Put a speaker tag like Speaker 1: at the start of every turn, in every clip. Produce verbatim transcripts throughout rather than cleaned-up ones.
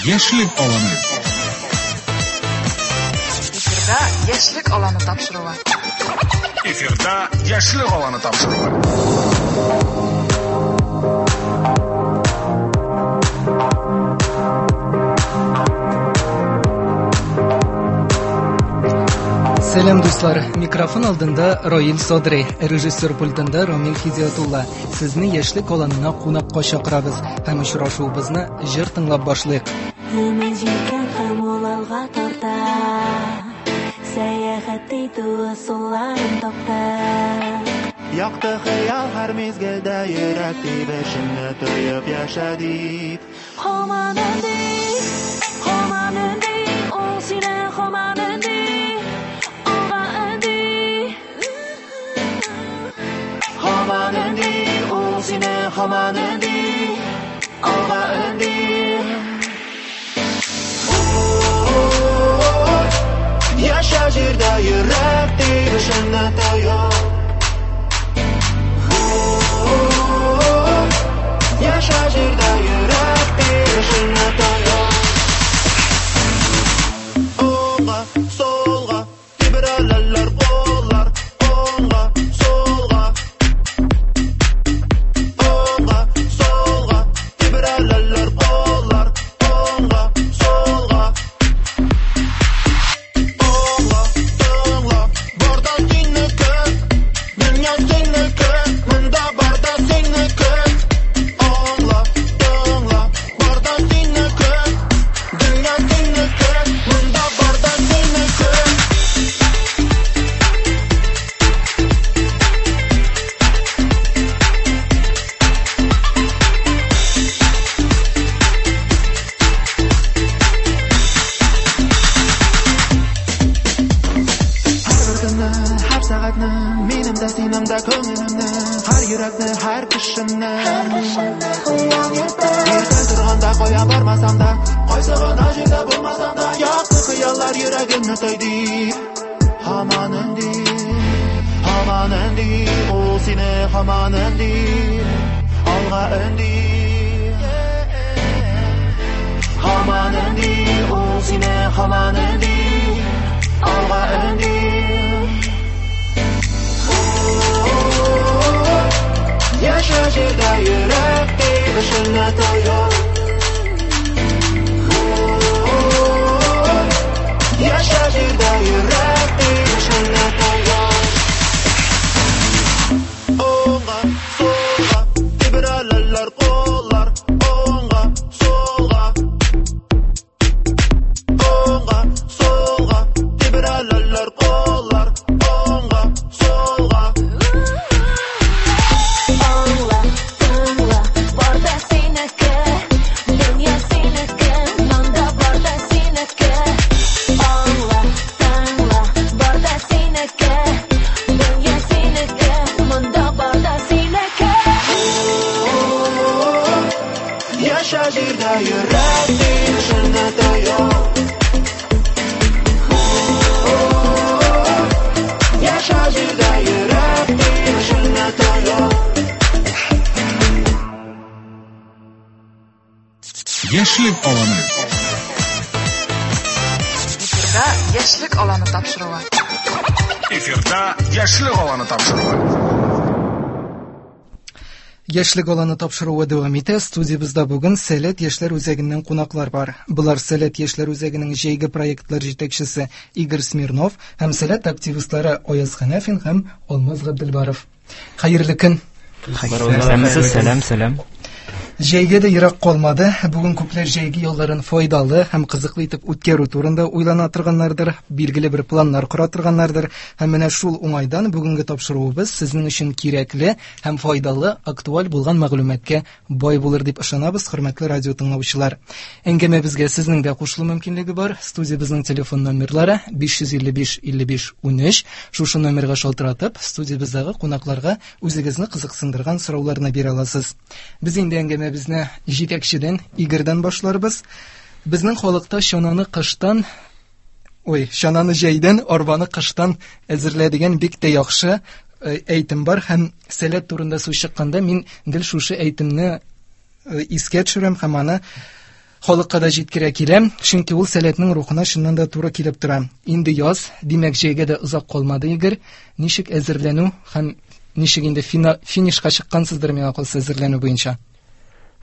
Speaker 1: Яшьлек аланы.
Speaker 2: Эфирда Яшьлек аланы тапшыруы.
Speaker 1: Эфирда Яшьлек аланы тапшыруы.
Speaker 3: Сәлам, дуслар! Микрофон алдында Раил Садри, режиссер пультында Рамил Хидиятулла. Сезне Яшьлек аланына кунакка чакырабыз һәм очрашуыбызны җыр тыңлап башлыйк.
Speaker 4: Өмет җилкән һәм ул алга тарта, сәяхәт итү ысулларын таптык.
Speaker 5: Якты хыял һәр мизгелдә йөрәк тибешеңне тоеп яшә дип.
Speaker 4: Һаман өнди, һаман өнди, ул сине һаман өнди, алга өнди.
Speaker 5: Һаман өнди, ул сине һаман өнди, алга өнди. Яшә җирдә йөрәк тибешеңне тоеп. Яшә җирдә йөрәк тибешеңне тоеп. Уңга, сулга тибрәләләр куллар, уңга, сулга. Уңга, сулга тибрәләләр куллар, уңга, сулга. Уңга, тыңла, бар да синеке, дөнья синеке, монда бар да синеке. Аңла, тыңла, бар да синеке, дөнья синеке, монда бар да синеке. Һәр бер көнне, һәр сәгатьне, минем дә синең дә күңелемне, һәр йөрәкне, һәр кешене.
Speaker 4: Хыял йөртә.
Speaker 5: Иртән торганда кая бармасам да, кайсы гына җирдә булмасам да, якты хыяллар йөрәгемне тойды. Һаман өнди, һаман өнди, ул сине һаман өнди, алга өнди. Һаман өнди, ул сине һаман өнди, алга өнди. Яшә җирдә йөрәк тибешеңне тоеп. Яшә җирдә йөрәк тибешеңне тоеп. Уңга, сулга тибрәләләр куллар, уңга, сулга. Уңга, сулга тибрәләләр куллар, уңга, сулга.
Speaker 4: Аңла, тыңла, бар да синеке, дөнья синеке, монда бар да синеке. Аңла, тыңла, бар да синеке, дөнья синеке, монда бар да синеке.
Speaker 5: Яшә җирдә йөрәк тибешеңне тоеп. Яшә җирдә йөрәк тибешеңне тоеп.
Speaker 1: Яшьлек аланы.
Speaker 2: Эфирда Яшьлек аланы тапшыруы.
Speaker 1: Эфирда Яшьлек аланы тапшыруы.
Speaker 3: Яшьлек аланы тапшыруы дәвам итә. Студиябездә бүген Сәләт яшьләр үзәгеннән кунаклар бар. Болар Сәләт яшьләр үзәгенең җәйге проектлар җитәкчесе Игорь Смирнов һәм Сәләт активистлары Аяз Хәнәфин һәм Алмаз Габделбаров. Хәерле көн.
Speaker 6: Сәләмсез, сәлам, сәлам.
Speaker 3: Җәйгә дә ерак калмады. Бүген күпләр җәйге ялларын файдалы һәм кызыклы итеп үткәрү турында уйлана торганнардыр, билгеле бер планнар кора торганнардыр. Һәм менә шул уңайдан бүгенге тапшыруыбыз сезнең өчен кирәкле һәм файдалы, актуаль булган мәгълүматка бай булыр дип ышанабыз, хөрмәтле радио тыңлаучылар. Әңгәмәбезгә сезнең дә кушылу мөмкинлеге бар. Студиябезнең телефон номерлары биш йөз илле биш илле биш унөч. Шушы номерга шалтыратып, студиябездәге кунакларга үзегезне кызыксындырган сорауларны бирә аласыз. Без инде әңгәмә безне җитәкчедән Игорьдан башларбыз. Безнең халыкта чананы кыштан, ой, чананы җәйдән, арбаны кыштан әзерлә дигән бик тә яхшы, э, әйтем бар һәм Сәләт турында сүз чыкканда мин гел шушы әйтемне, э, искә төшерәм һәм аны халыкка да җиткерә килә, чөнки ул сәләтнең рухына чыннан да туры килеп тора. Инде яз, димәк, җәйгә дә озак калмады, Игорь. Ничек әзерләнү һәм ничек инде финишка чыккансыздыр миңа калса әзерләнү буенча?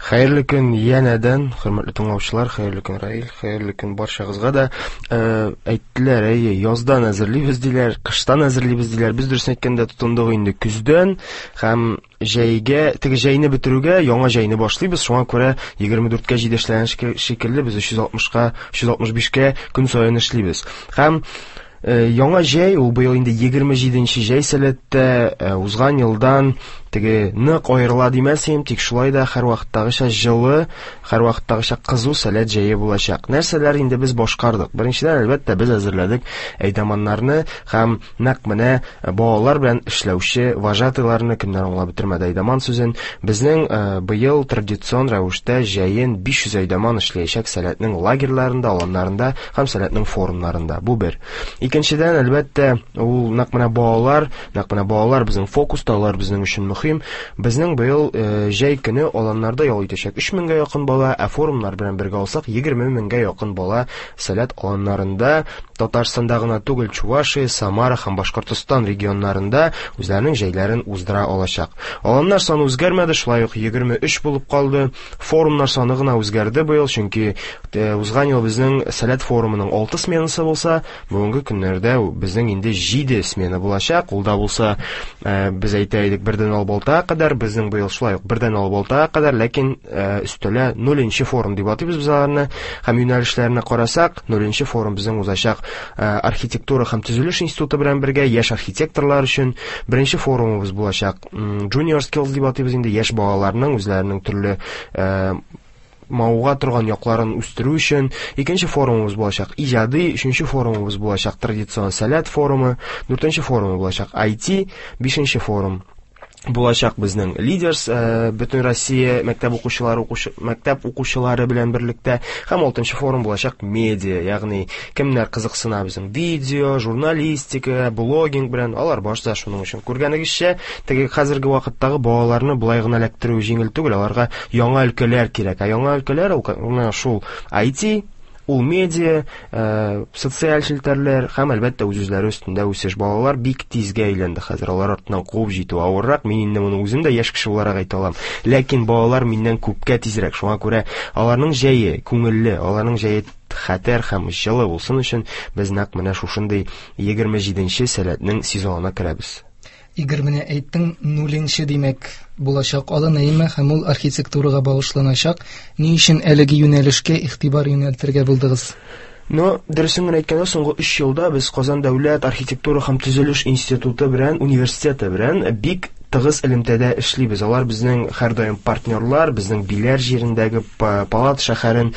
Speaker 7: Хәерле көн янәдән, хөрмәтле тыңлаучылар, хәерле көн Раил, хәерле көн барчагызга да. Э, әйттеләр, әйе, яздан әзерлибез диләр, кыштан әзерлибез диләр. Без дөресен әйткәндә тотындык инде көздән һәм җәйгә, теге җәйне бетерүгә яңа җәйне башлыйбыз. Шуңа күрә егерме дүрткә җиде эшләгән шикелле без өч йөз алтмышка, өч йөз алтмыш бишкә көн саен эшлибез. Һәм яңа җәй, ул быел инде егерме җиденче җәй сәләттә, узган елдан теге нык аерыла димәсем, тик шулай да һәрвакыттагыча җылы, һәрвакыттагыча кызу сәләт җәе булачак. Нәрсәләр инде без башкардык? Беренчедән, әлбәттә, без әзерләдек әйдаманнарны һәм нәкъ менә балалар белән эшләүче вожатыйларны, кемнәр аңлап бетермәде әйдаман сүзен. Безнең быел традицион рәвештә җәен биш йөз әйдаман эшләячәк сәләтнең лагерьларында, аланнарында һәм сәләтнең форумнарында. Бу бер. Икенчедән, әлбәттә, ул нәкъ менә балалар, нәкъ менә балалар безнең фокуста, алар безнең өчен мөһим. Безнең быел җәй көне аланнарда ял итәчәк өч меңгә якын бала, ә форумнар белән бергә алсак егерме меңгә якын бала сәләт аланнарында, Татарстанда гына түгел, Чувашия, Самара һәм Башкортостан регионнарында үзләренең җәйләрен уздыра алачак. Аланнар саны үзгәрмәде, шулай ук егерме өч булып калды. Форумнар саны гына үзгәрде быел, чөнки узган ел безнең сәләт форумының алты сменасы булса, бүгенге көннәрдә безнең инде җиде смена булачак. Ул да булса, без әйтә идек, бердән алып алтыга кадәр, безнең быел шулай ук бердән алып алтыга кадәр, ләкин өстәлә нуленче форум дип атыйбыз без аларны. Һәм юнәлешләренә карасак, нуленче форум безнең узачак архитектура һәм төзелеш институты белән бергә яшь архитекторлар өчен. Беренче форумыбыз булачак Junior Skills дип атыйбыз инде, яшь балаларның үзләренең төрле мавыга торган якларын үстерү өчен. Икенче форумыбыз булачак иҗади, өченче форумыбыз булачак традицион сәләт форумы, дүртенче форумы булачак ай ти, бишенче форум булачак безнең Leaders, бөтен Россия мәктәп укучылары, укучы, мәктәп укучылары белән берлектә, һәм алтынчы форум булачак медиа, ягъни кемнәр кызыксына безнең видео, журналистика, блогинг белән, алар башта шуның өчен. Күргәнегезчә, теге хәзерге вакыттагы балаларны болай гына эләктерү җиңел түгел, аларга яңа өлкәләр кирәк. Ә яңа өлкәләр ул менә шул ай ти, ул медиа, социаль челтәрләр һәм әлбәттә үз-үзләре өстендә үсеш. Балалар бик тизгә әйләнде хәзер, алар артыннан куып җитү авыррак. Мин инде моны үзем дә яшь кеше буларак әйтә алам. Ләкин балалар миннән күпкә тизрәк. Шуңа күрә аларның җәе күңелле, аларның җәе хәтәр һәм җылы булсын өчен без нәкъ менә шушындый егерме җиденче сәләтнең сезонына керәбез.
Speaker 3: Игорь, менә әйттең, нуленче димәк булачак алан, әйме, һәм ул архитектурага багышланачак. Ни өчен әлеге юнәлешкә игътибар юнәлтергә булдыгыз?
Speaker 7: Но, дөресен генә әйткәндә, соңгы өч елда без Казан дәүләт архитектура һәм төзелеш институты белән, университеты белән бик тыгыз элемтәдә эшлибез. Алар безнең һәрдаим партнерлар, безнең Биләр җирендәге Палат шәһәрен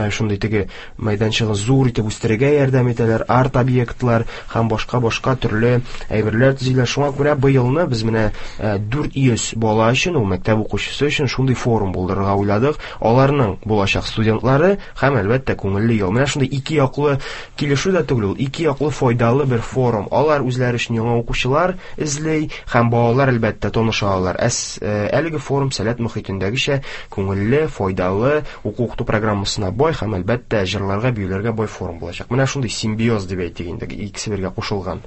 Speaker 7: шундый теге мәйданчыгын зур итеп үстерергә ярдәм итәләр, арт-объектлар һәм башка-башка төрле әйберләр төзиләр. Шуңа күрә быелны без менә дүрт йөз бала өчен, ул мәктәп укучысы өчен шундый форум булдырырга уйладык. Аларның булачак студентлары һәм әлбәттә күңелле ел. Менә шундый ике яклы килешү дә түгел, ул ике яклы файдалы бер форум. Алар үзләре өчен яңа укучылар эзли һәм балалар әлбәттә таныша алар. Әс, әлеге форум сәләт мөхитендәгечә күңелле, файдалы, уку-укыту программасына бай һәм әлбәттә җырларга, биюләргә бай форум булачак. Менә шундый симбиоз дип әйтик инде, икесе бергә кушылган.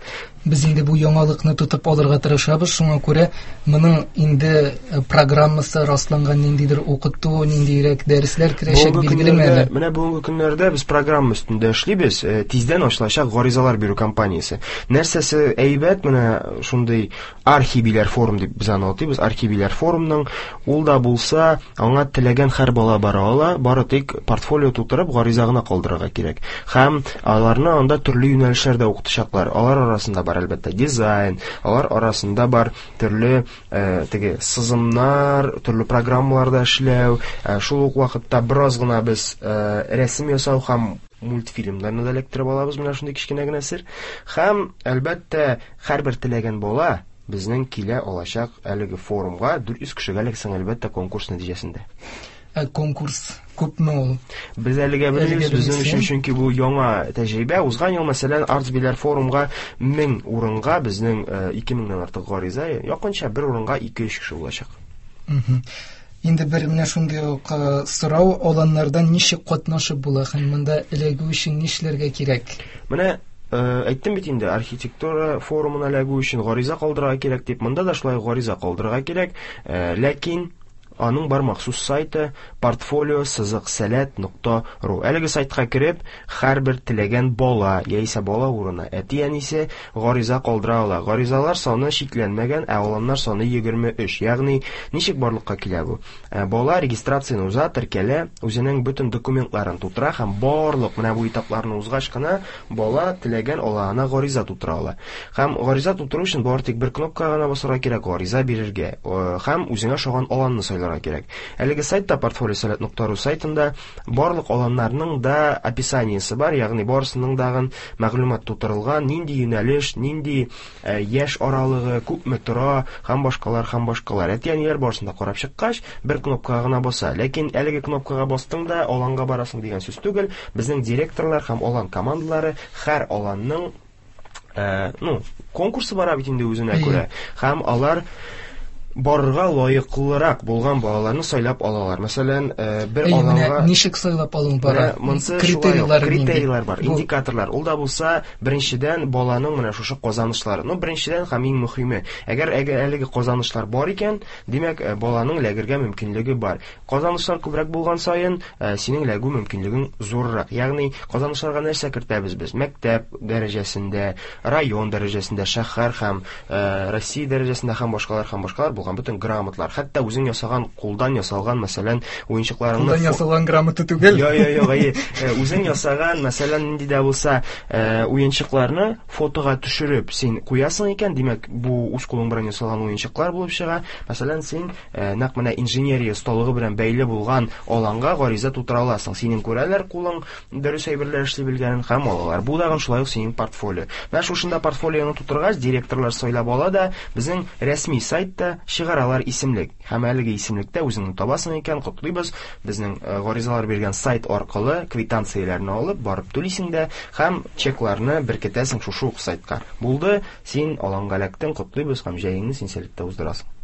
Speaker 3: Без инде бу яңалыкны тотып алырга тырышабыз, шуңа күрә моның инде программасы расланган, ниндидер укыту, ниндирәк дәресләр керәчәк билгелеме әле?
Speaker 7: Менә бүгенге көннәрдә без программа өстендә эшлибез. Тиздән ачылачак гаризалар бирү кампаниясе. Нәрсәсе әйбәт, менә шундый архибиләр форум дип без аны атыйбыз, архибиләр форумның, ул да булса, аңа теләгән һәр бала бара ала, бары тик портфолио тутырып гариза гына калдырырга кирәк. Һәм аларны анда төрле юнәлешләрдә укытачаклар. Алар арасында бар әлбәттә дизайн, алар арасында бар төрле э, теге сызымнар, төрле программаларда эшләү, э, шул ук вакытта бераз гына без э, рәсем ясау һәм мультфильмнарны да эләктереп алабыз, менә шундый кечкенә генә сер. Һәм әлбәттә һәрбер теләгән бала безнең килә алачак әлеге форумга дүрт йөз кешегә эләксәң, әлбәттә, конкурс нәтиҗәсендә.
Speaker 3: Ә конкурс күпме ул?
Speaker 7: Без әлегә белмибез, безнең өчен, чөнки бу яңа тәҗрибә. Узган ел, мәсәлән, Артсбиләр форумга мең урынга безнең ике меңнән артык гариза, якынча бер урынга ике-өч кеше булачак.
Speaker 3: Инде бер менә шундый ук сорау, аланнардан ничек катнашып була һәм монда эләгү өчен нишләргә кирәк?
Speaker 7: Менә әйттем бит инде, архитектура форумына эләгү өчен гариза калдырырга кирәк дип, монда да шулай гариза калдырырга кирәк, ләкин аның бар махсус сайты портфолио сызык сәләт нокта ру. Әлеге сайтка кереп, һәрбер теләгән бала яисә бала урыны әти-әнисе гариза калдыра ала. Гаризалар саны чикләнмәгән, ә аланнар саны егерме өч. Ягъни ничек барлыкка килә бу? Бала регистрацияне уза, теркәлә, үзенең бөтен документларын тутыра һәм барлык менә бу этапларны узгач кына бала теләгән аланына гариза тутыра ала. Һәм гариза тутыру өчен бары тик бер кнопкага гына басарга кирәк, гариза бирергә һәм үзеңә ошаган аланны сайларга кирәк. Әлеге сайтта портфолио сәләт нокта ру сайтында барлык аланнарның да описаниесе бар, ягъни барысының дагын мәгълүмат тутырылган, нинди юнәлеш, нинди яшь аралыгы, күпме тора һәм башкалар һәм башкалар. Әти-әниләр барысын да карап чыккач, бер кнопкага гына баса. Ләкин әлеге кнопкага бастың да аланга барасың дигән сүз түгел. Безнең директорлар һәм алан командалары һәр аланның, ну, конкурсы бара бит инде үзенә күрә. Һәм алар барырга лаеклырак булган балаларны сайлап алалар. Мәсәлән, бер аланга
Speaker 3: ничек сайлап алу бара?
Speaker 7: Критерийлар, критерийлар бар, индикаторлар. Ул да булса, беренчедән баланың менә шушы казанышлары. Ну, беренчедән һәм иң мөһиме, әгәр әгәр әлеге казанышлар бар икән, димәк, баланың ләгергә мөмкинлеге бар. Казанышлар күбрәк булган саен, синең ләгү мөмкинлегең зуррак. Ягъни, казанышларга нәрсә кертәбез без? Мәктәп дәрәҗәсендә, район дәрәҗәсендә, шәһәр һәм Россия дәрәҗәсендә һәм башкалар һәм башкалар булган бөтен грамотлар, хәтта үзең ясаган, кулдан ясалган, мәсәлән, уенчыкларыңны
Speaker 3: кулдан ясалган грамота түгел.
Speaker 7: Йо, йо, йо, әйе. Үзең ясаган, мәсәлән, нинди дә булса уенчыкларны фотога төшереп син куясың икән, димәк, бу үз кулың белән ясалган уенчыклар булып чыга. Мәсәлән, син нәкъ менә инженерия осталыгы белән бәйле булган аланга гариза тутыра аласың. Синең күрәләр кулың дөрес әйберләр эшли белгәнен һәм алалар. Бу дагын шулай ук синең портфолио. Менә шушында портфолионы тутыргач, директорлар сайлап ала да безнең рәсми сайтта чыгаралар исемлек. Һәм әлеге исемлектә үзеңне табасың икән, котлыйбыз. Безнең гаризалар биргән сайт аркылы квитанцияләрне алып, барып түлисең дә һәм чекларны беркетәсең шушы ук сайтка. Булды, син аланга эләктең, котлыйбыз һәм җәеңне син сәләттә уздырасың.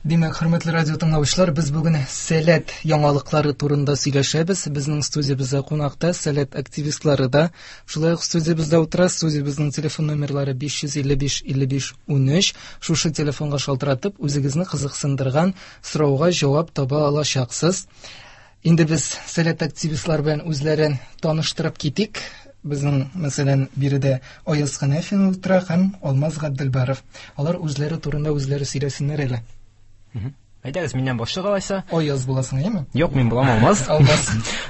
Speaker 3: Димәк, хөрмәтле радио тыңлаучылар, без бүген сәләт яңалыклары турында сөйләшәбез. Безнең студиябездә кунакта сәләт активистлары да шулай ук студиябездә утыра. Студиябезнең телефон номерлары биш йөз илле биш илле биш унөч. Шушы телефонга шалтыратып, үзегезне кызыксындырган сорауга җавап таба алачаксыз. Инде без сәләт активистлар белән үзләрен таныштырып китик. Безнең, мәсәлән, биредә Аяз Хәнәфин утыра һәм Алмаз Габделбаров. Алар үзләре турында үзләре сөйләсеннәр әле.
Speaker 6: Әйдәгез, миннән башлык алайса.
Speaker 3: Аяз буласың, әйеме?
Speaker 6: Юк, мин булам Алмаз.
Speaker 3: Алмаз.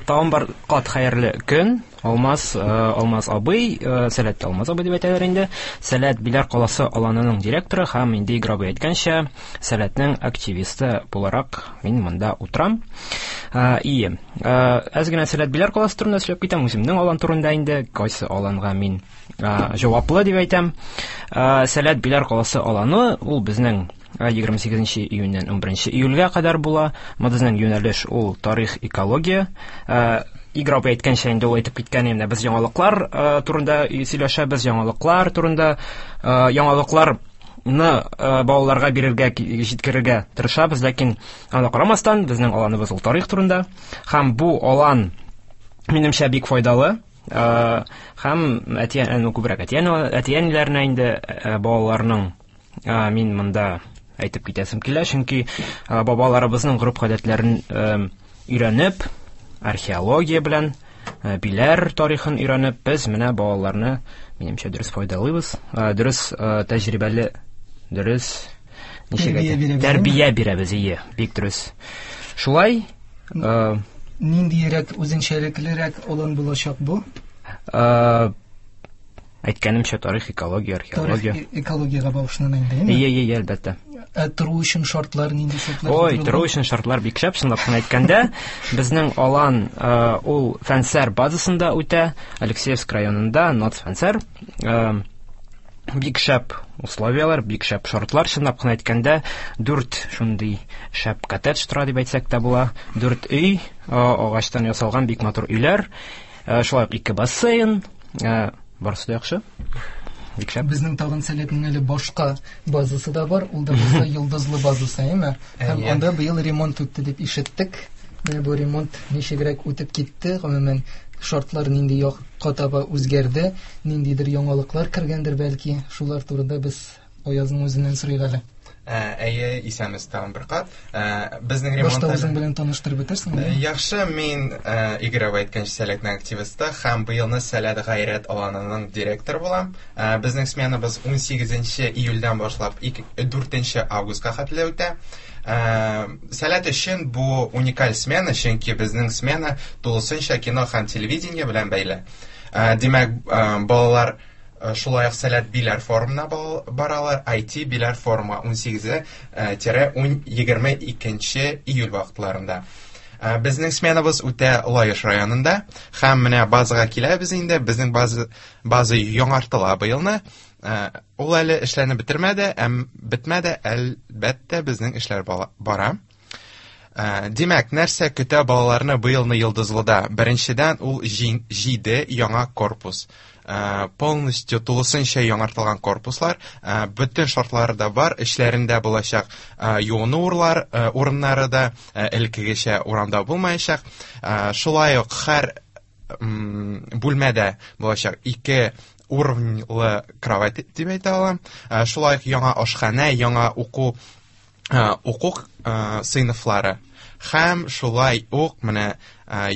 Speaker 6: Тагын бар кат хәерле көн. Алмаз, Алмаз абый, Сәләт Алмаз абый дип әйтәләр инде. Сәләт Биләр каласы аланының директоры һәм инде Игорь абый әйткәнчә, Сәләтнең активисты буларак мин монда утырам. Ие, әз генә Сәләт Биләр каласы турында сөйләп китәм, үземнең алан турында инде, кайсы аланга мин җаваплы дип әйтәм. Сәләт Биләр каласы аланы ул безнең егерме сигезенче июньнән унберенче июльгә кадәр була. Безнең юнәлеш ул тарих, экология. Игорь абый әйткәнчә, инде ул әйтеп киткән, инде без яңалыклар турында сөйләшәбез, яңалыклар турында, яңалыкларны балаларга бирергә, җиткерергә тырышабыз, ләкин аңа карамастан безнең аланыбыз ул тарих турында. Һәм бу алан минемчә бик файдалы. Һәм әти-әни, күбрәк әти-әниләренә инде балаларның мин монда әйтеп китәсем килә, чөнки бабаларыбызның гореф-гадәтләрен өйрәнеп, археология белән Биләр тарихын өйрәнеп, без менә балаларны минемчә дөрес файдалыйбыз, дөрес тәҗрибәле, дөрес ничек әйтә, тәрбия бирәбез, ие, бик дөрес. Шулай,
Speaker 3: ниндиерәк үзенчәлеклерәк алан булачак бу?
Speaker 6: Әйткәнемчә, тарих, экология, археология.
Speaker 3: Тарих, экологиягә багышлана инде, әйеме?
Speaker 6: Ие, ие, әлбәттә.
Speaker 3: Ә тору өчен шартлар нинди шартлар?
Speaker 6: Ой, тору өчен шартлар бик шәп, чынлап кына әйткәндә, безнең алан ул Фәнсәр базасында үтә, Алексеевск районында, Ноц Фәнсәр. Бик шәп условиялар, бик шәп шартлар, чынлап кына әйткәндә, дүрт шундый шәп коттедж тора дип әйтсәк тә була. Дүрт өй, агачтан ясалган бик матур өйләр, шулай ук ике бассейн, барысы да яхшы. Бик шәп.
Speaker 3: Безнең тагын Сәләтнең әле башка базасы да бар, ул да булса Йолдызлы базасы, әйеме? Һәм анда быел ремонт үтте дип ишеттек. Менә бу ремонт ничегрәк үтеп китте, гомумән шартлар нинди якка таба үзгәрде, ниндидер яңалыклар кергәндер бәлки, шулар турында без Аязның үзеннән сорыйк әле.
Speaker 8: Әйе, исәнмесез тагын бер кат. Безнең ремонт
Speaker 3: Башта үзең белән таныштырып бетерсең.
Speaker 8: Яхшы, мин Игорь абый әйткәнчә Сәләтнең активисты һәм быелны Сәләт Гайрәт аланының директоры булам. Безнең сменабыз ун сигезенче июльдән башлап дүртенче августка хәтле үтә. Сәләт өчен бу уникаль смена, чөнки безнең смена тулысынча кино һәм телевидение белән бәйле. Димәк, балалар шулай ук Сәләт Биләр форумына баралар, ай ти Биләр форумы ун сигезе тире егерме икенче июль вакытларында. Безнең сменабыз үтә Лаеш районында һәм менә базага киләбез инде. Безнең база, база яңартыла быелны. Ул әле эшләнеп бетермәде, әм бетмәде, әлбәттә, безнең эшләр бара. Димәк, нәрсә көтә балаларны быелны Йолдызлыда? Беренчедән, ул җиде яңа корпус. Полностью тулысынча яңартылган корпуслар, бөтен шартлары да бар, эчләрендә булачак юыну урыннары да, элеккегечә урамда булмаячак. Шулай ук һәр бүлмәдә булачак ике уровньлы кровать дип әйтә алам. Шулай ук яңа ашханә, яңа уку уку сыйныфлары. Һәм шулай ук менә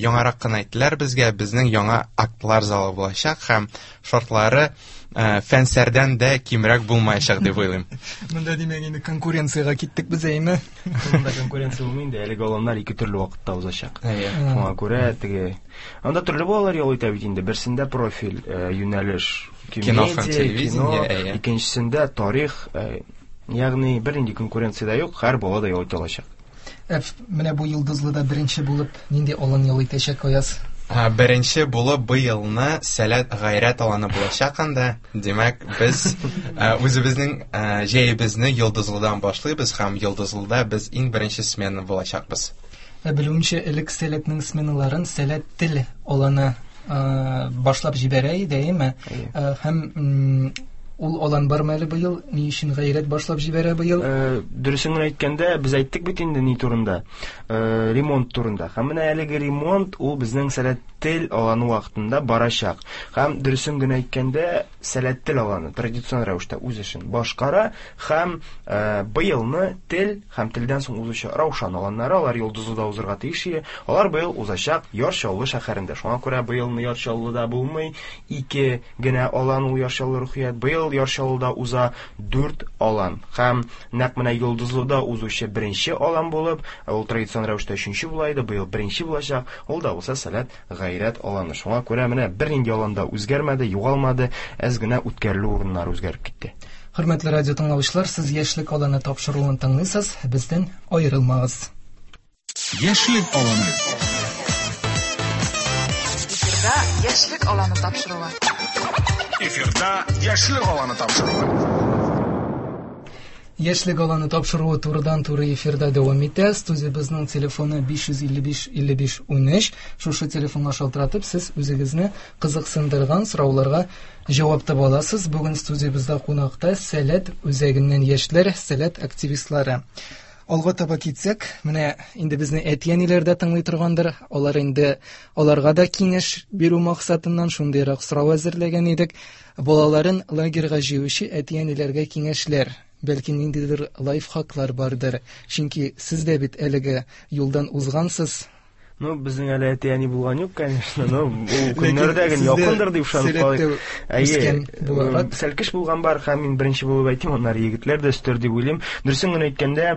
Speaker 8: яңарак кына әйттеләр безгә, безнең яңа актлар залы булачак һәм шартлары фәнсәрдән дә кимрәк булмаячак дип уйлыйм.
Speaker 3: Монда димәк инде конкуренциягә киттек без, әйме?
Speaker 7: Монда конкуренция булмый инде, әлеге аланнар ике төрле вакытта узачак. Шуңа күрә теге анда төрле балалар ял итә бит инде. Берсендә профиль, юнәлеш,
Speaker 8: кино һәм телевидение,
Speaker 7: икенчесендә тарих, ягъни бернинди конкуренция дә юк, һәр бала да ял итә алачак.
Speaker 3: Менә бу Йолдызлыда беренче булып нинди алан ял итәчәк, Аяз?
Speaker 8: Беренче булып быелны Сәләт Гайрәт аланы булачак анда. Димәк, без үзебезнең җәебезне Йолдызлыдан башлыйбыз һәм Йолдызлыда без иң беренче смена булачакбыз.
Speaker 3: Ә белүемчә, элек Сәләтнең сменаларын Сәләт тел аланы башлап җибәрә иде, әйеме? Һәм ул алан бармы әле быел? Ни өчен Гайрәт башлап җибәрә быел?
Speaker 7: Дөресен генә әйткәндә, без әйттек бит инде ни турында, ремонт турында. Һәм менә әлеге ремонт ул безнең Сәләт тел аланы вакытында барачак. Һәм дөресен генә әйткәндә, Сәләт тел аланы традицион рәвештә үз эшен башкара һәм быелны тел һәм телдән соң узучы Раушан аланнары, алар Йолдызлыда узырга тиеш иде. Алар быел узачак Яр Чаллы шәһәрендә. Шуңа күрә быелны Яр Чаллыда булмый, ике генә алан ул Яр Чаллы Рухият. Быел Яр Чаллыда уза дүрт алан. Һәм нәкъ менә Йолдызлыда узучы беренче алан булып, ул традицион рәвештә өченче була иде, быел беренче булачак. Ул да булса Сәләт Гайрәт аланы. Шуңа күрә менә бернинди аланда үзгәрмәде, югалмады, әз генә үткәрелү урыннары үзгәреп китте.
Speaker 3: Хөрмәтле радио тыңлаучылар, сез Яшьлек аланы тапшыруын тыңлыйсыз, бездән аерылмагыз.
Speaker 1: Яшьлек аланы.
Speaker 2: Эфирда Яшьлек аланы тапшыруы.
Speaker 1: Эфирда Яшьлек аланы тапшыруы.
Speaker 3: Яшьлек аланы тапшыруы турыдан-туры эфирда дәвам итә. Студиябезнең телефоны биш йөз илле биш илле биш унөч. Шушы телефонга шалтыратып, сез үзегезне кызыксындырган сорауларга җавап таба аласыз. Бүген студиябездә кунакта Сәләт үзәгеннән яшьләр, Сәләт активистлары. Алга таба китсәк, менә инде безне әти-әниләр дә тыңлый торгандыр. Алар инде аларга да киңәш бирү максатыннан шундыйрак сорау әзерләгән идек. Балаларын лагерьга җыючы әти-әниләргә киңәшләр, бәлки ниндидер лайфхаклар бардыр. Чөнки сез дә бит әлеге юлдан узгансыз.
Speaker 7: Ну, безнең әле әти-әни булган юк, конечно, но ул көннәрдә генә якындыр дип ышанып калыйк. Әйе, сәлкеш булган бар, һәм мин беренче булып әйтим, аннары егетләр дә өстер дип уйлыйм. Дөресен генә әйткәндә,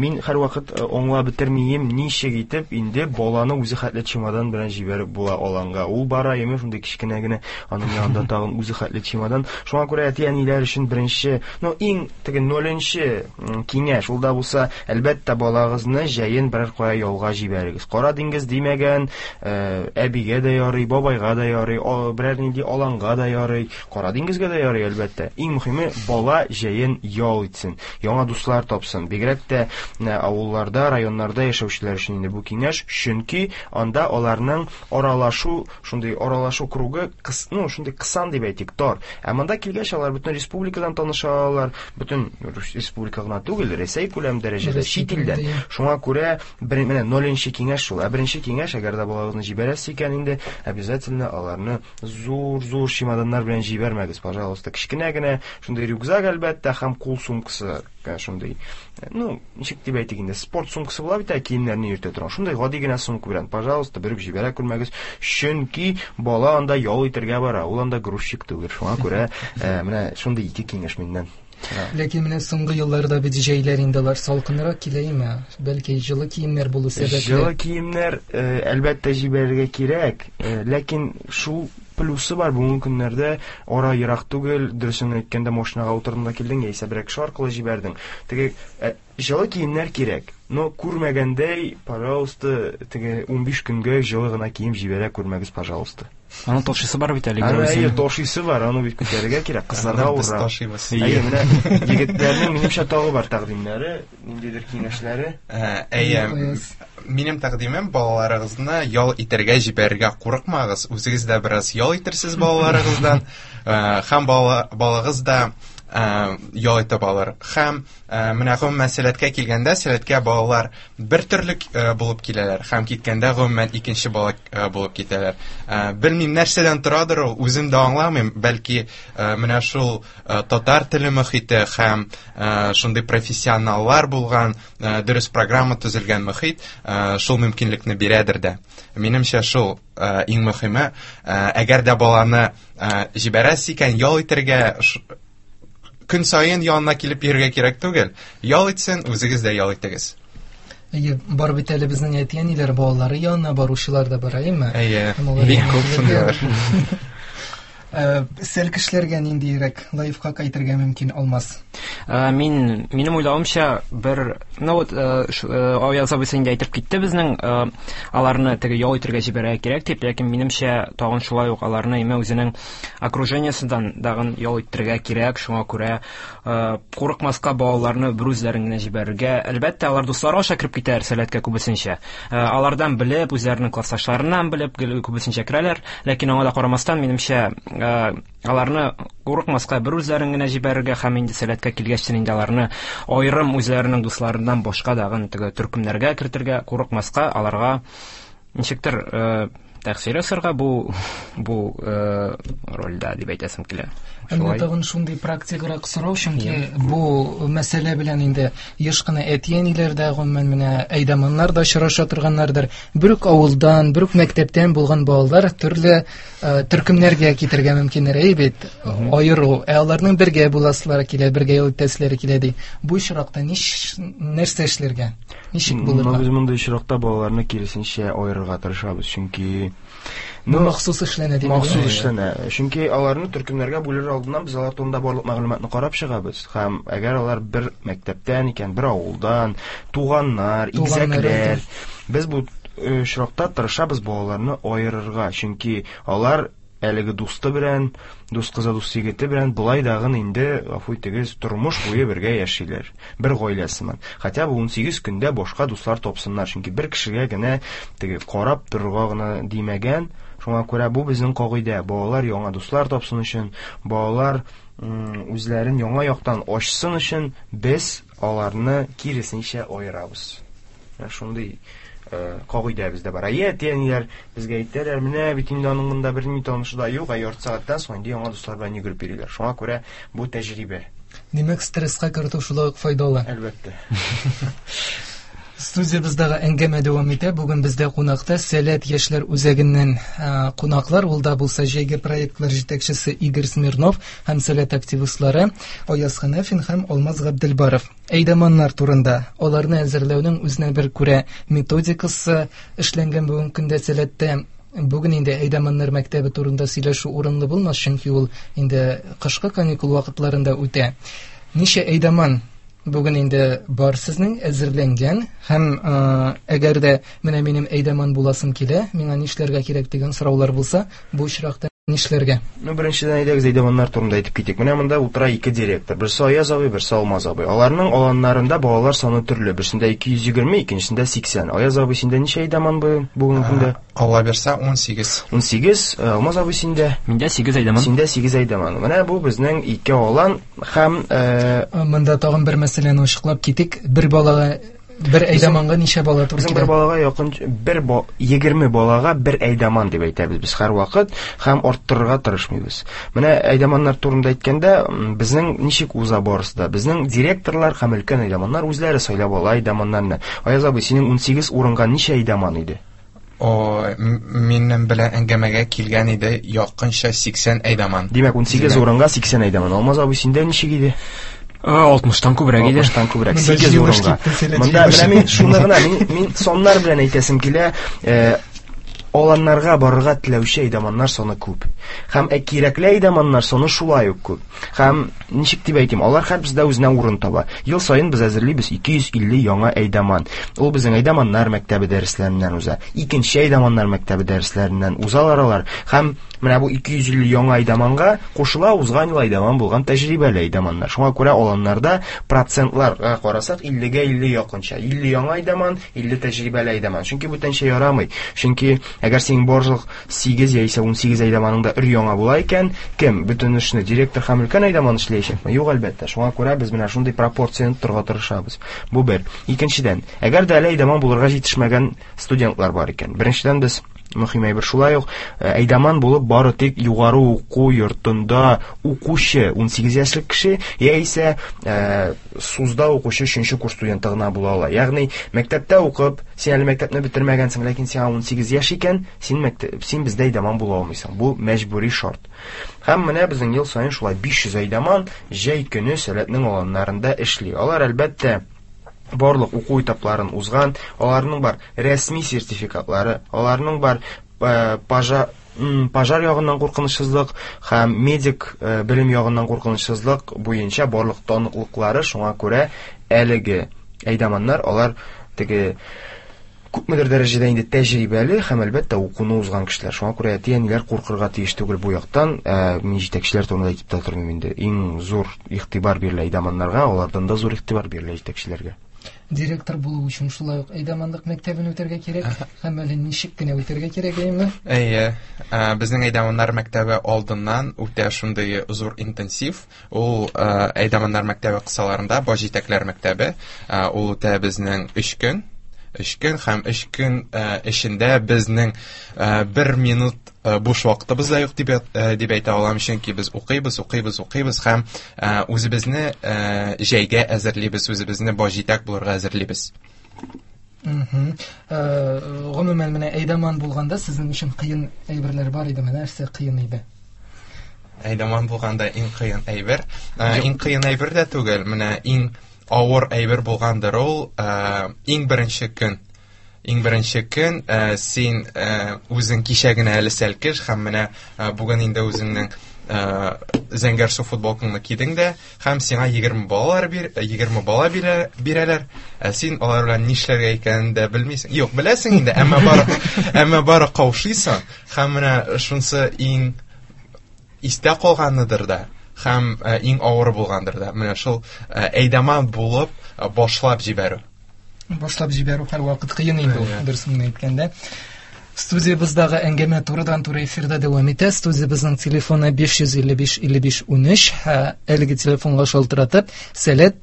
Speaker 7: мин һәрвакыт аңлап бетермим, ничек итеп инде баланы үзе хәтле чемодан белән җибәреп була аланга. Ул бара, яме шундый кечкенә генә, аның янында тагын үзе хәтле чемодан. Шуңа күрә әти-әниләр өчен беренче, ну, иң теге ноленче киңәш, ул да булса, әлбәттә, балагызны җәен берәр кая ялга җибәрегез. Кара диңгез диңгез димәгән, әбигә дә ярый, бабайга да ярый, берәр нинди аланга да ярый, Кара диңгезгә дә ярый, әлбәттә. Иң мөһиме бала җәен ял итсен, яңа дуслар тапсын. Бигрәк тә авылларда, районнарда яшәүчеләр өчен инде бу киңәш, чөнки анда аларның аралашу, шундый аралашу кругы, ну, шундый кысан дип әйтик, тар. Ә монда килгәч алар бөтен республикадан таныша алалар, бөтен республика гына түгел, Рәсәй күләм дәрәҗәдә, чит илдән. Шуңа күрә бер, менә ноль киңәш шул. Ә беренче киңәш, әгәр дә балагызны җибәрәсез икән инде, обязательно аларны зур-зур чемоданнар белән җибәрмәгез, пожалуйста. Кечкенә генә шундый рюкзак, әлбәттә, һәм кул сумкасы, шундый, ну, ничек дип әйтик инде, спорт сумкасы була бит, киемнәрне йөртә торган. Шундый гади генә сумка белән, пожалуйста, берүк җибәрә күрмәгез, чөнки бала анда ял итәргә бара, ул анда грузчик түгел. Шуңа күрә менә шундый ике киңәш миннән.
Speaker 3: Ләкин менә соңгы елларда бит җәйләр инде алар салкынрак киләме? Бәлки җылы киемнәр булу сәбәпле.
Speaker 7: Җылы киемнәр әлбәттә җибәрергә кирәк, ләкин шул плюсы бар бүгенге көннәрдә, ара ерак түгел, дөресен әйткәндә машинага утырдың да килдең, яисә берәр кеше аркылы җибәрдең. Теге җылы киемнәр кирәк, но күрмәгәндәй, пожалуйста, теге унбиш көнгә җылы гына кием җибәрә күрмәгез, пожалуйста.
Speaker 6: Аның ташыйсы бар бит әле.
Speaker 7: Әйе, ташыйсы бар, аны бит күтәрергә кирәк, кызларга авыррак. Әйе, менә егетләрнең минемчә тагы бар тәкъдимнәре, ниндидер киңәшләре.
Speaker 8: Әйе, минем тәкъдимем, балаларыгызны ял итәргә җибәрергә курыкмагыз, үзегез дә бераз ял итерсез балаларыгыздан, һәм балагыз да ял итеп алыр. Һәм менә гомумән сәләткә килгәндә, сәләткә балалар бер төрле булып киләләр, һәм киткәндә гомумән икенче бала булып китәләр. Белмим нәрсәдән торадыр ул, үзем дә аңламыйм, бәлки менә шул татар теле мөхите һәм шундый профессионаллар булган, дөрес программа төзелгән мөхит шул мөмкинлекне бирәдер дә. Минемчә шул иң мөһиме, әгәр дә баланы җибәрәсез икән, ял итәргә көн саен янына килеп йөрергә кирәк түгел. Ял итсен, үзегез дә ял итегез.
Speaker 3: Әйе, бар бит әле безнең әти-әниләр балалары янына баручылар да бар, әйеме?
Speaker 8: Әйе, бик күп шундыйлар.
Speaker 3: Сәл кешеләргә ниндирәк лайфхак әйтергә мөмкин, Алмаз?
Speaker 6: Мин, минем уйлавымча, бер, ну вот, Аяз абыйсы инде әйтеп китте безнең, аларны теге ял итәргә җибәрергә кирәк дип, ләкин минемчә тагын шулай ук аларны име үзенең окружениесеннән дагын ял итәргә кирәк, шуңа күрә курыкмаска балаларны бер үзләрен генә җибәрергә. Әлбәттә, алар дуслары аша кереп китәр сәләткә күбесенчә. Алардан белеп, үзләренең классташларыннан белеп күбесенчә керәләр, ләкин аңа да карамастан, минемчә, аларны курыкмаска бер үзләрен генә җибәрергә һәм инде сәләткә килгәчтен инде аларны аерым үзләренең дусларыннан башка дагын теге төркемнәргә кертергә курыкмаска, аларга ничектер тәэсир ясарга бу бу рольдә дип әйтәсем килә.
Speaker 3: Әмма тагын шундый практиграк сорау, чөнки бу мәсьәлә белән инде еш кына әти-әниләр дә, гомумән менә әйдаманнар да очраша торганнардыр. Бер үк авылдан, бер үк мәктәптән булган балалар төрле төркемнәргә китергә мөмкиннәр, әй бит, аеру. Ә аларның бергә буласылары килә, бергә ял итәселәре килә ди. Бу очракта нәрсә эшләргә? Ничек булырга?
Speaker 7: Без мондый очракта балаларны киресенчә аерырга тырышабыз, чөнки
Speaker 3: бу махсус эшләнә дип.
Speaker 7: Махсус эшләнә. Чөнки аларны төркемнәргә бүлер алдыннан без алар турында барлык мәгълүматны карап чыгабыз. Һәм әгәр алар бер мәктәптән икән, бер авылдан, туганнар, игезәкләр, без бу очракта тырышабыз балаларны аерырга, чөнки алар әлеге дусты белән, дус кызы, дус егете белән болай дагын инде, гафу итегез, тормыш буе бергә яшиләр. Бер гаилә сыман. Хотя бы унсигез көндә башка дуслар тапсыннар, чөнки бер кешегә генә теге карап торырга гына димәгән. Шуңа күрә бу безнең кагыйдә. Балалар яңа дуслар тапсын өчен, балалар үзләрен яңа яктан ачсын өчен без аларны киресенчә аерабыз. Менә шундый кагыйдә бездә бар. Әйе, әти-әниләр безгә әйтәләр, менә бит инде аның монда берни танышы да юк, ә ярты сәгатьтән соң инде яңа дуслар белән йөгереп йөриләр. Шуңа күрә бу тәҗрибә.
Speaker 3: Димәк, стресска кертү шулай ук файдалы.
Speaker 7: Әлбәттә.
Speaker 3: Студиябездәге әңгәмә дәвам итә. Бүген бездә кунакта Сәләт яшьләр үзәгеннән кунаклар, ул да булса җәйге проектлар җитәкчесе Игорь Смирнов һәм Сәләт активистлары Аяз Хәнәфин һәм Алмаз Габделбаров. Әйдаманнар турында, аларны әзерләүнең үзенә бер күрә методикасы эшләнгән бүгенге көндә Сәләттә. Бүген инде әйдаманнар мәктәбе турында сөйләшү урынлы булмас, чөнки ул инде кышкы каникул вакытларында үтә. Ничә әйдаман Бүген инде бар сезнең әзерләнгән һәм әгәр дә менә минем әйдәман буласым килә, миңа нишләргә кирәк дигән сораулар булса, бу очракта нишләргә?
Speaker 7: Ну, беренчедән әйдәгез әйдәманнар турында әйтеп китик. Менә монда утыра ике директор. Берсе Аяз абый, берсе Алмаз абый. Аларның аланнарында балалар саны төрле. Берсендә ике йөз егерме, икенчесендә сиксән. Аяз абый, синдә ничә әйдәман бүгенге көндә?
Speaker 8: Алла бирсә, ун сигез.
Speaker 7: Ун сигез. Алмаз абый, синдә?
Speaker 6: Миндә сигез әйдәман.
Speaker 7: Синдә сигез әйдәман. Менә бу безнең ике алан һәм,
Speaker 3: монда тагын бер мәсьәләне ачыклап китик. Бер балага бер әйдәманга ничә бала туры килә?
Speaker 7: Бер балага якын бер егерме балага бер әйдәман дип әйтәбез без һәрвакыт һәм арттырырга тырышмыйбыз. Менә әйдәманнар турында әйткәндә, безнең ничек уза барысы да? Безнең директорлар һәм өлкән әйдәманнар үзләре сайлап ала әйдәманнарны. Аяз абый, синең ун сигез урынга ничә әйдәман иде?
Speaker 8: О, минем белән әңгәмәгә килгән иде якынча сиксән әйдәман.
Speaker 7: Димәк, ун сигез урынга сиксән әйдәман. Алмаз абый, синдә ничек иде?
Speaker 6: Алтмыштан күбрәк иде.
Speaker 7: Алтмыштан күбрәк. Сигез урынга. Монда менә мин шуны гына, мин, мин саннар белән әйтәсем килә, аланнарга барырга теләүче әйдәманнар саны күп. Һәм кирәкле әйдәманнар саны шулай ук күп. Һәм ничек дип әйтим, алар һәрберсе дә үзенә урын таба. Ел саен без әзерлибез ике йөз илле яңа әйдәман. Ул безнең әйдәманнар мәктәбе дәресләреннән уза. Икенче әйдәманнар мәктәбе дәресләреннән узалар алар. Һәм менә бу ике йөз илле яңа әйдәманга кушыла узган ел әйдәман булган тәҗрибәле әйдәманнар. Шуңа күрә аланнарда процентларга карасак иллегә илле якынча. Илле яңа әйдәман, илле тәҗрибәле әйдәман. Чөнки бүтәнчә ярамый. Чөнки әгәр синең барлык сигез яисә ун сигез әйдәманың да өр яңа була икән, кем бөтен эшне директор һәм өлкән әйдәман эшләячәкме? Юк, әлбәттә. Шуңа күрә без менә шундый пропорцияне тотарга тырышабыз. Бу бер. Икенчедән, әгәр дә әле әйдәман булырга җитешмәгән студентлар бар икән, беренчедән без мөһим әйбер шулай ук, әйдәман булып бары тик югары уку йортында укучы ун сигез яшьлек кеше яисә СУЗда укучы өченче курс студенты гына була ала. Ягъни мәктәптә укып, син әле мәктәпне бетермәгәнсең, ләкин сиңа ун сигез яшь икән, син мәктәп, син бездә әйдәман була алмыйсың. Бу мәҗбүри шарт. Һәм менә безнең ел саен шулай биш йөз әйдәман җәй көне Сәләтнең аланнарында эшли. Алар әлбәттә барлык уку этапларын узган, аларның бар рәсми сертификатлары, аларның бар пожар, пожар ягыннан куркынычсызлык һәм медик белем ягыннан куркынычсызлык буенча барлык таныклыклары. Шуңа күрә әлеге әйдәманнар алар теге күпмедер дәрәҗәдә инде тәҗрибәле һәм әлбәттә укуны узган кешеләр. Шуңа күрә әти-әниләр куркырга тиеш түгел бу яктан. Мин җитәкчеләр турында әйтеп тә тормыйм инде. Иң зур игътибар бирелә әйдәманнарга, алардан да зур игътибар бирелә җитәкчеләргә.
Speaker 3: Директор булу өчен шулай ук әйдәманлык мәктәбен үтәргә кирәк һәм әле ничек кенә үтәргә кирәк, әйеме?
Speaker 8: Әйе, безнең әйдәманнар мәктәбе алдыннан үтә шундый зур интенсив. Ул әйдәманнар мәктәбе кысаларында баш җитәкләр мәктәбе, ул үтә безнең өч көн. Өч көн һәм өч көн эчендә безнең бер минут буш вакытыбыз да юк дип, дип әйтә алам, чөнки без укыйбыз, укыйбыз, укыйбыз һәм үзебезне җәйгә әзерлибез, үзебезне баш җитәк булырга әзерлибез.
Speaker 3: Гомумән, менә әйдәман булганда сезнең өчен кыен әйберләр бар идеме? Нәрсә кыен иде?
Speaker 8: Әйдәман булганда иң кыен әйбер, иң кыен әйбер дә түгел, менә иң авыр әйбер булгандыр ул, иң беренче көн. Иң беренче көн син үзең кичә генә әле сәлкеш һәм менә бүген инде үзеңнең зәңгәр су футболкаңны кидең дә һәм сиңа егерме балалар бир, егерме бала бирәләр. Ә син алар белән нишләргә икәнен дә белмисең. Юк, беләсең инде, әмма бары, әмма бары каушыйсың. Һәм менә шунысы иң истә калганыдыр да. Һәм иң авыр булгандыр да. Менә шул әйдәман булып башлап җибәрү.
Speaker 3: Башлап җибәрү һәрвакыт кыен инде ул, дөресен әйткәндә. Студиябездәге әңгәмә турыдан-туры эфирда дәвам итә. Студиябезнең телефоны биш йөз илле биш илле биш унөч. Әлеге телефонга шалтыратып, Сәләт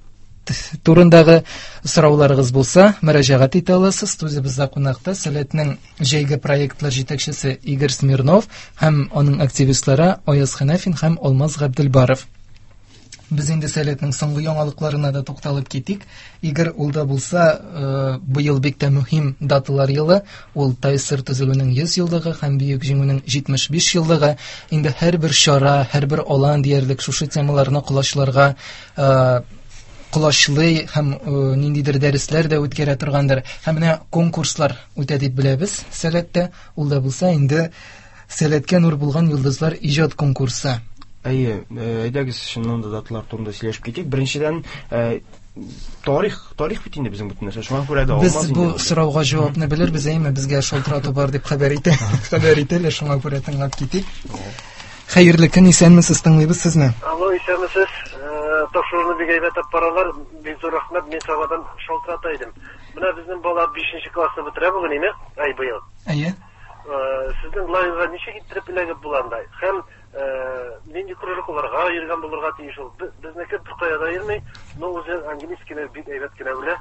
Speaker 3: турындагы сорауларыгыз булса, мөрәҗәгать итә аласыз. Студиябездә кунакта Сәләтнең җәйге проектлар җитәкчесе Игорь Смирнов һәм аның активистлары Аяз Хәнәфин һәм Алмаз Габделбаров. Без инде Сәләтнең соңгы яңалыкларына да тукталып китик. Игорь, ул да булса, быел бик тә мөһим даталар елы, ул ТАССР төзелүнең йөз еллыгы һәм Бөек Җиңүнең җитмеш биш еллыгы. Инде һәрбер чара, һәрбер алан диярлек шушы темаларны колачларга колачлый һәм ниндидер дәресләр дә үткәрә торгандыр. Һәм менә конкурслар үтә дип беләбез Сәләттә. Ул да булса инде Сәләткә нур булган йолдызлар иҗат конкурсы.
Speaker 7: Әйе, әйдәгез чыннан да даталар турында сөйләшеп китик. Беренчедән, Тарих, тарих бит инде безнең бөтен нәрсә. Шуңа күрә дә
Speaker 3: Без бу сорауга җавапны белербез, әйме, безгә шалтырату бар дип хәбәр итә. Хәбәр итәләр, шуңа күрә тыңлап китик. Хәерле көн, исәнмесез, тыңлыйбыз сезне.
Speaker 9: Алло, исәнмесез. Тапшыруны бик әйбәт алып баралар. Бик зур рәхмәт, мин Сабадан шалтырата идем. Менә безнең бала бишенче классны бетерә бүген, әйме? Ай, быел.
Speaker 3: Әйе.
Speaker 9: Сезнең лагерьга ничек иттереп эләгеп була анда? Һәм нинди кружокларга йөргән булырга тиеш ул? Безнеке бер кая да йөрми, но үзе английскийны бик әйбәт кенә белә.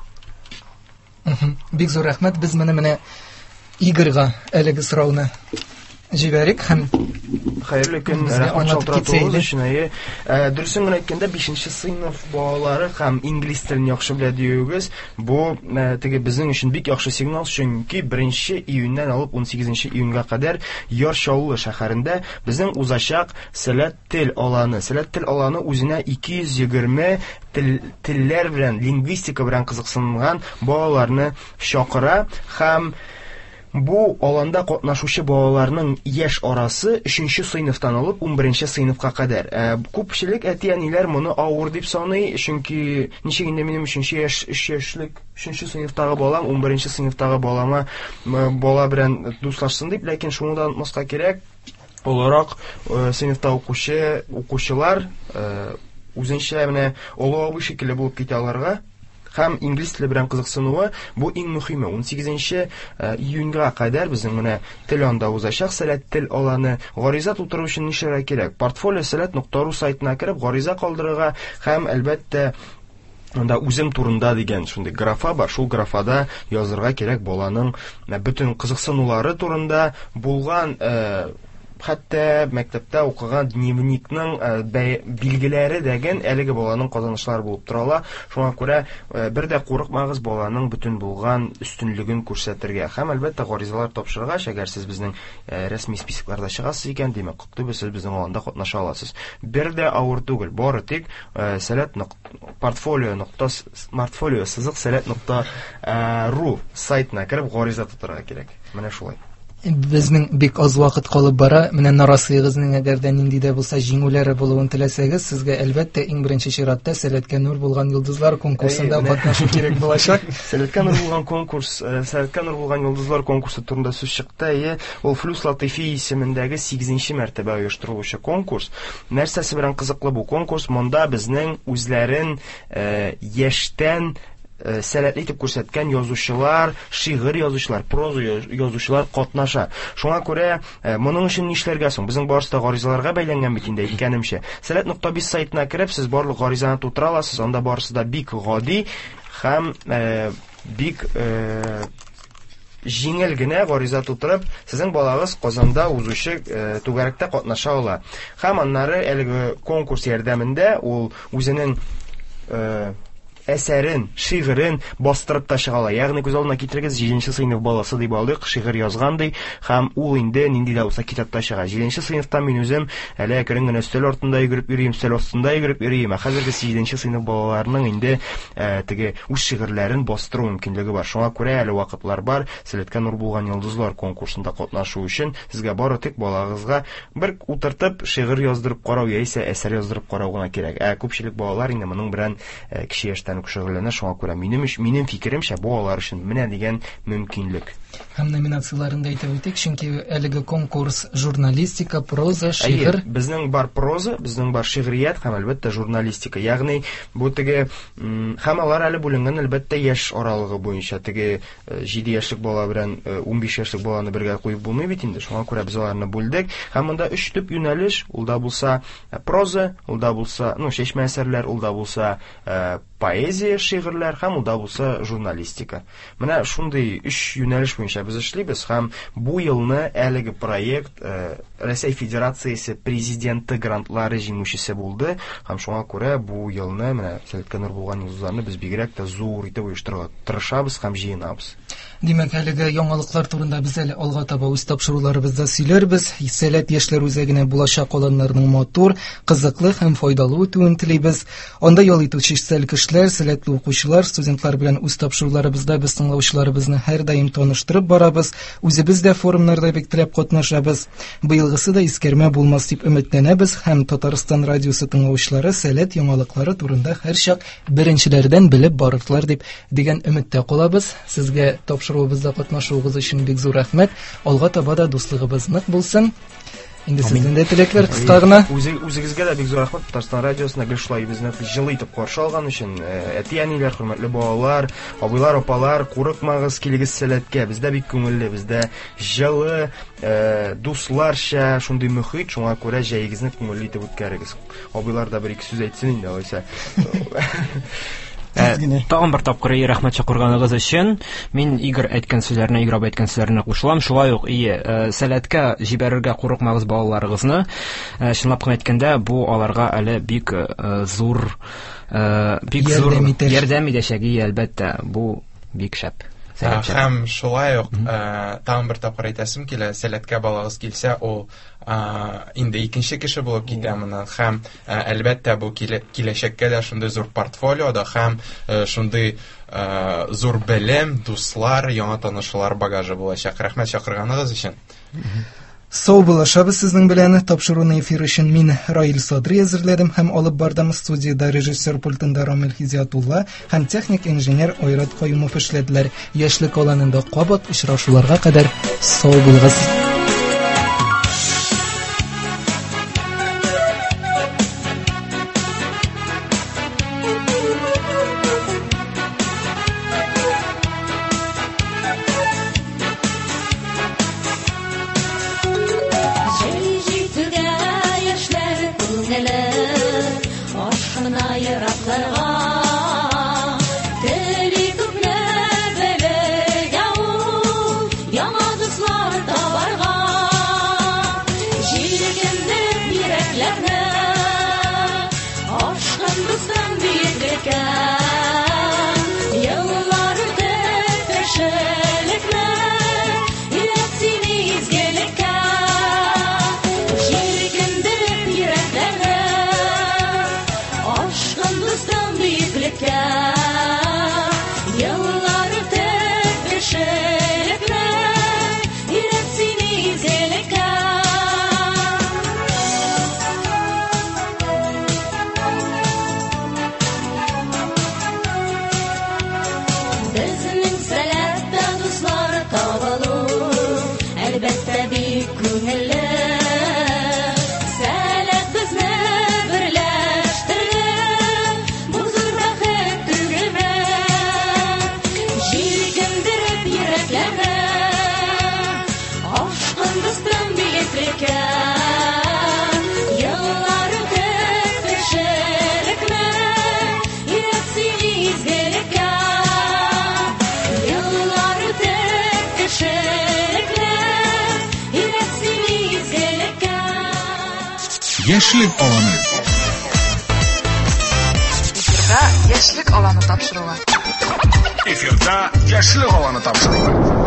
Speaker 3: Бик зур рәхмәт. Без менә менә Игорьга әлеге сорауны җибәрик һәм
Speaker 7: хәерле көн, рәхмәт шалтыратуыгыз өчен. Әйе, дөресен генә әйткәндә, бишенче сыйныф балалары һәм инглиз телен яхшы белә диюегез, бу теге безнең өчен бик яхшы сигнал, чөнки беренче июньнән алып унсигезенче июньгә кадәр Яр Чаллы шәһәрендә безнең узачак Сәләт тел аланы. Сәләт тел аланы үзенә ике йөз егерме телләр белән, лингвистика белән кызыксынган балаларны чакыра һәм бу аланда катнашучы балаларның яшь арасы өченче сыйныфтан алып унберенче сыйныфка кадәр. Күпчелек әти-әниләр моны авыр дип саный, чөнки ничек инде минем өченче яшь, өч яшьлек өченче сыйныфтагы балам унберенче сыйныфтагы балама бала белән дуслашсын дип, ләкин шуны да онытмаска кирәк, олырак сыйныфта укучы укучылар үзенчә менә олы абый шикелле булып китә аларга. Һәм инглиз теле белән кызыксынуы бу иң мөһиме. Унсигезенче июньгә кадәр безнең менә тел анда узачак Сәләт тел аланы. Гариза тутыру өчен нишләргә кирәк? Портфолио сәләт нокта ру сайтына кереп гариза калдырырга һәм әлбәттә анда үзем турында дигән шундый графа бар. Шул графада язырга кирәк баланың бөтен кызыксынулары турында булган, хәтта мәктәптә укыган дневникның билгеләре дәген әлеге баланың казанышлары булып тора ала. Шуңа күрә бер дә курыкмагыз баланың бөтен булган өстенлеген күрсәтергә. Һәм әлбәттә гаризалар тапшыргач, әгәр сез безнең рәсми списокларда чыгасыз икән, димәк, котлыйбыз, сез безнең аланда катнаша аласыз. Бер дә авыр түгел, бары тик сәләт портфолио нокта портфолио сызык сәләт нокта ру сайтына кереп гариза тутырырга кирәк. Менә шулай.
Speaker 3: Безнең бик аз вакыт калып бара. Менә нарасыегызның әгәр дә нинди дә булса җиңүләре булуын теләсәгез, сезгә әлбәттә иң беренче чиратта Сәләткә нур булган йолдызлар конкурсында катнашу кирәк булачак.
Speaker 7: Сәләткә нур булган конкурс, Сәләткә нур булган йолдызлар конкурсы турында сүз чыкты. Әйе, ул Флюс Латыйфи исемендәге сигезенче мәртәбә оештырылучы конкурс. Нәрсәсе белән кызыклы бу конкурс? Монда безнең үзләрен яшьтән сәләтле итеп күрсәткән язучылар, шигырь язучылар, проза язучылар катнаша. Шуңа күрә моның өчен нишләргә соң? Безнең барысы да гаризаларга бәйләнгән бит инде, әйткәнемчә. Сәләт нокта биз сайтына кереп, сез барлык гаризаны тутыра аласыз. Анда барысы да бик гади һәм бик җиңел генә гариза тутырып, сезнең балагыз Казанда узучы түгәрәктә катнаша ала. Һәм аннары әлеге конкурс ярдәмендә ул үзенең әсәрен, шигырен бастырып та чыга ала. Ягъни күз алдына китерегез, җиденче сыйныф баласы дип алдык, шигырь язган ди, һәм ул инде нинди дә булса китапта чыга. Җиденче сыйныфта мин үзем әле әкрен генә өстәл артында йөгереп йөрим, өстәл астында йөгереп йөрим. Ә хәзерге җиденче сыйныф балаларының инде теге үз шигырьләрен бастыру мөмкинлеге бар. Шуңа күрә әле вакытлар бар. Сәләткә нур булган йолдызлар конкурсында катнашу өчен сезгә бары тик балагызга бер утыртып шигырь яздырып карау яисә әсәр яздырып карау гына кирәк. Ә күпчелек балалар инде моның белән кече яшьтән шөгыльләнә. Шуңа күрә минем минем фикеремчә, бу алар өчен менә дигән мөмкинлек.
Speaker 3: Һәм номинацияләрен дә әйтеп үтик, чөнки әлеге конкурс журналистика, проза, шигырь.
Speaker 7: Әйе, безнең бар проза, безнең бар шигърият һәм әлбәттә журналистика. Ягъни бу теге һәм алар әле бүленгән әлбәттә яшь аралыгы буенча. Теге җиде яшьлек бала белән унбиш яшьлек баланы бергә куеп булмый бит инде. Шуңа күрә без аларны бүлдек. Һәм монда өч төп юнәлеш, ул да булса проза, ул да булса, ну, чәчмә әсәрләр, ул да булса поэзия, шигырьләр һәм ул да булса журналистика. Менә шундый өч юнәлеш буенча без эшлибез һәм бу елны әлеге проект Рәсәй Федерациясе президенты грантлары җиңүчесе булды һәм шуңа күрә бу елны менә Сәләткә нур булган йолдызларны без бигрәк тә зур итеп оештырырга тырышабыз һәм җыенабыз.
Speaker 3: Димәк, әлеге яңалыклар турында без әле алга таба үз тапшыруларыбызда сөйләрбез. Сәләт яшьләр үзәгенә булачак аланнарның матур, кызыклы һәм файдалы үтүен телибез. Анда ял итүче кешеләр, сәләтле укучылар, студентлар белән үз тапшыруларыбызда без тыңлаучыларыбызны һәрдаим таныштырып барабыз. Үзебез дә форумнарда бик теләп катнашабыз. Быелгысы да искәрмә булмас дип өметләнәбез һәм Татарстан радиосы тыңлаучылары сәләт яңалыклары турында һәрчак беренчеләрдән белеп барырлар дип дигән өметтә калабыз. Сезгә тапшыру Тапшыруыбызда катнашуыгыз өчен бик зур рәхмәт. Алга таба да дуслыгыбыз нык булсын. Инде сездән дә теләкләр кыска гына.
Speaker 7: Үзегезгә дә бик зур рәхмәт. Татарстан радиосына гел шулай безне җылы итеп каршы алган өчен. Әти-әниләр, хөрмәтле балалар, абыйлар, апалар, курыкмагыз, килегез Сәләткә. Бездә бик күңелле, бездә җылы, дусларча шундый мөхит, шуңа күрә җәегезне күңелле итеп үткәрегез. Абыйлар да бер ике сүз әйтсен инде, алайса.
Speaker 6: Тагын бер тапкыр рәхмәт чакырганыгыз өчен. Мин Игорь әйткән сүзләренә, Игорь абый әйткән сүзләренә кушылам. Шулай ук ие, Сәләткә җибәрергә курыкмагыз балаларыгызны. Чынлап кына әйткәндә, бу аларга әле бик зур, бик зур ярдәм итәчәк, әлбәттә. Бу бик шәп.
Speaker 8: Һәм шулай ук тагын бер тапкыр әйтәсем килә, Сәләткә балагыз килсә, ул инде икенче кеше булып китә моннан. Һәм әлбәттә бу киләчәккә дә шундый зур портфолиода һәм шундый зур белем, дуслар, яңа танышулар багажы булачак. Рәхмәт чакырганыгыз өчен.
Speaker 3: Сау булашабыз сезнең белән. Тапшыруны эфир өчен мин Раил Садри әзерләдем һәм алып бардым. Студияда режиссер пультында Рамил Хизиятулла һәм техник инженер Айрат Каюмов эшләделәр. Яшьлек аланында кабат очрашуларга кадәр сау булыгыз.
Speaker 1: Яшьлек аланы.
Speaker 2: Эфирда Яшьлек аланы тапшыруы.
Speaker 1: Эфирда Яшьлек аланы тапшыруы.